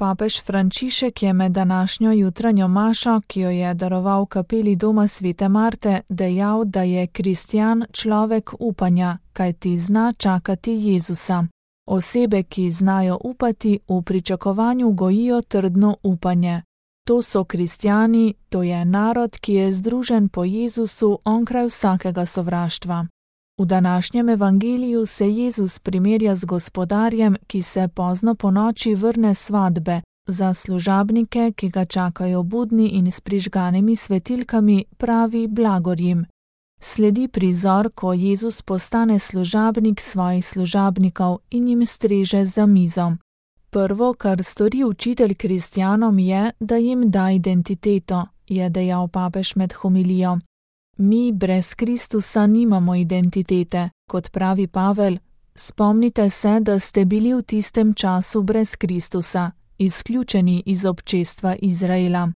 Papež Frančišek je med današnjo jutranjo mašo, ki jo je daroval v kapeli doma svete Marte, dejal, da je kristjan človek upanja, kajti zna čakati Jezusa. Osebe, ki znajo upati, v pričakovanju gojijo trdno upanje. To so kristjani, to je narod, ki je združen po Jezusu onkraj vsakega sovraštva. V današnjem evangeliju se Jezus primerja z gospodarjem, ki se pozno ponoči vrne s svatbe. Za služabnike, ki ga čakajo budni in s prižganimi svetilkami, pravi blagor jim. Sledi prizor, ko Jezus postane služabnik svojih služabnikov in jim streže za mizo. Prvo, kar stori učitelj kristjanom, je, da jim da identiteto, je dejal papež med homilijo. Mi brez Kristusa nimamo identitete, kot pravi Pavel. Spomnite se, da ste bili v tistem času brez Kristusa, izključeni iz občestva Izraela.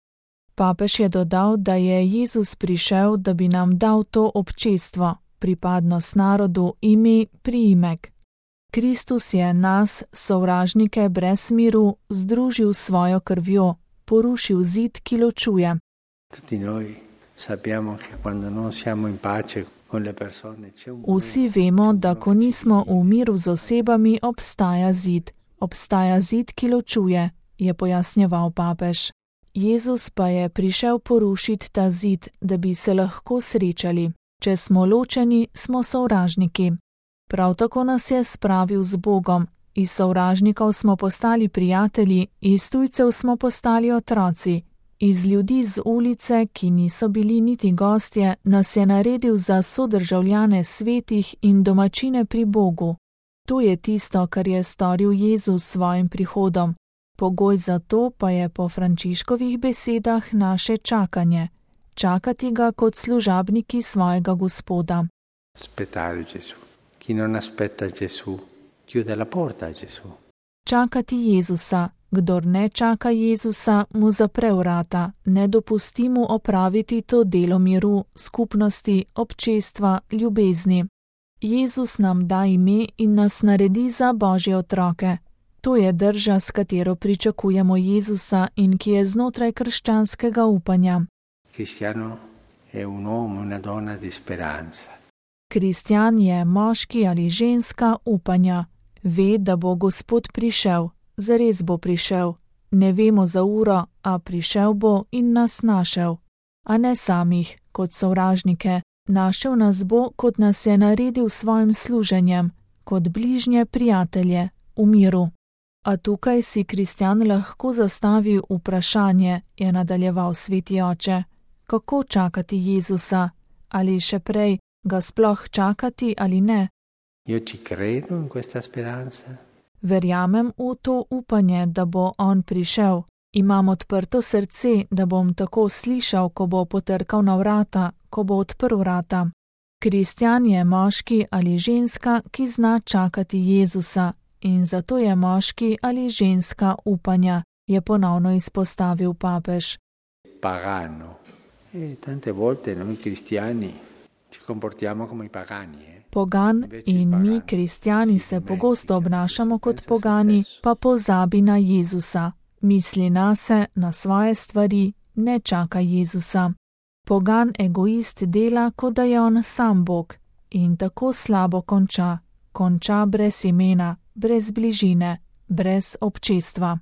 Papež je dodal, da je Jezus prišel, da bi nam dal to občestvo, pripadnost narodu, ime, priimek. Kristus je nas, sovražnike brez miru, združil s svojo krvjo, porušil zid, ki ločuje. Vsi vemo, da ko nismo v miru z osebami, obstaja zid. Obstaja zid, ki ločuje, je pojasnjeval papež. Jezus pa je prišel porušiti ta zid, da bi se lahko srečali. Če smo ločeni, smo sovražniki. Prav tako nas je spravil z Bogom. Iz sovražnikov smo postali prijatelji, iz tujcev smo postali otroci. Iz ljudi z ulice, ki niso bili niti gostje, nas je naredil za sodržavljane svetih in domačine pri Bogu. To je tisto, kar je storil Jezus s svojim prihodom. Pogoj za to pa je po Frančiškovih besedah naše čakanje. Čakati ga kot služabniki svojega Gospoda. Čakati Jezusa. Kdor ne čaka Jezusa, mu zapre vrata, ne dopusti mu opraviti to delo miru, skupnosti, občestva, ljubezni. Jezus nam da ime in nas naredi za Božje otroke. To je drža, s katero pričakujemo Jezusa in ki je znotraj krščanskega upanja. Kristjan je moški ali ženska upanja. Ve, da bo Gospod prišel. Zares bo prišel. Ne vemo za uro, a prišel bo in nas našel. A ne samih, kot sovražnike. Našel nas bo, kot nas je naredil s svojim služenjem, kot bližnje prijatelje, v miru. A tukaj si kristjan lahko zastavi vprašanje, je nadaljeval sveti oče. Kako čakati Jezusa? Ali še prej, ga sploh čakati ali ne? Verjamem v to upanje, da bo on prišel. Imam odprto srce, da bom tako slišal, ko bo potrkal na vrata, ko bo odprl vrata. Kristjan je moški ali ženska, ki zna čakati Jezusa, in zato je moški ali ženska upanja, je ponovno izpostavil papež. Pagano. Tante volte noi cristiani ci comportiamo come i pagani. Pogan in mi, kristjani, se pogosto obnašamo kot pogani, pa pozabi na Jezusa. Misli nase, na svoje stvari, ne čaka Jezusa. Pogan egoist dela, kot da je on sam Bog, in tako slabo konča. Konča brez imena, brez bližine, brez občestva.